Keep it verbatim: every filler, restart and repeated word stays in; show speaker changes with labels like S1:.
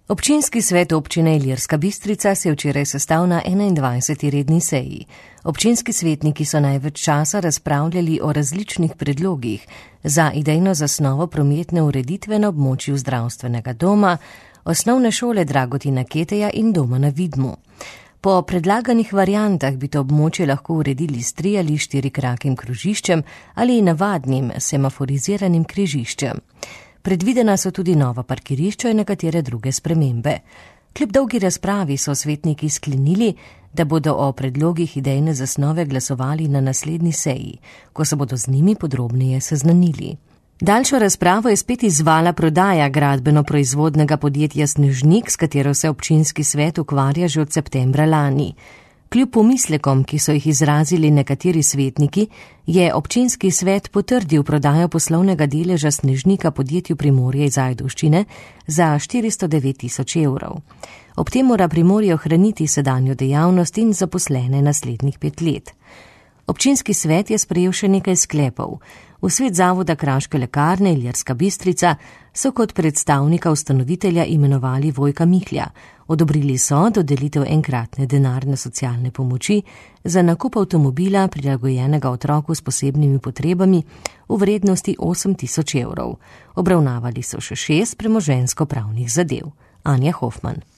S1: Občinski svet občine Ilirska Bistrica se je včeraj sestal na enaindvajseti redni seji. Občinski svetniki so največ časa razpravljali o različnih predlogih za idejno zasnovo prometne ureditve na območju zdravstvenega doma, osnovne šole Dragotina Keteja in doma na Vidmu. Po predlaganih variantah bi to območje lahko uredili s tri ali štirikrakim krožiščem ali navadnim semaforiziranim križiščem. Predvidena so tudi nova parkirišča in nekatere druge spremembe. Kljub dolgi razpravi so svetniki sklenili, da bodo o predlogih idejne zasnove glasovali na naslednji seji, ko se bodo z njimi podrobneje seznanili. Daljšo razpravo je spet izvala prodaja gradbeno-proizvodnega podjetja Snežnik, s katero se občinski svet ukvarja že od septembra lani. Kljub pomislekom, ki so jih izrazili nekateri svetniki, je občinski svet potrdil prodajo poslovnega deleža Snežnika podjetju Primorje iz Ajdovščine za štiristo devet tisoč evrov. Ob tem mora Primorje ohraniti sedanjo dejavnost in zaposlene naslednjih pet let. Občinski svet je sprejel še nekaj sklepov. V svet zavoda Kraške lekarne Ilirska Bistrica so kot predstavnika ustanovitelja imenovali Vojka Mihlja. Odobrili so dodelitev enkratne denarne socialne pomoči za nakup avtomobila prilagojenega otroku s posebnimi potrebami v vrednosti osem tisoč evrov. Obravnavali so še šest premoženjsko-pravnih zadev. Anja Hofman.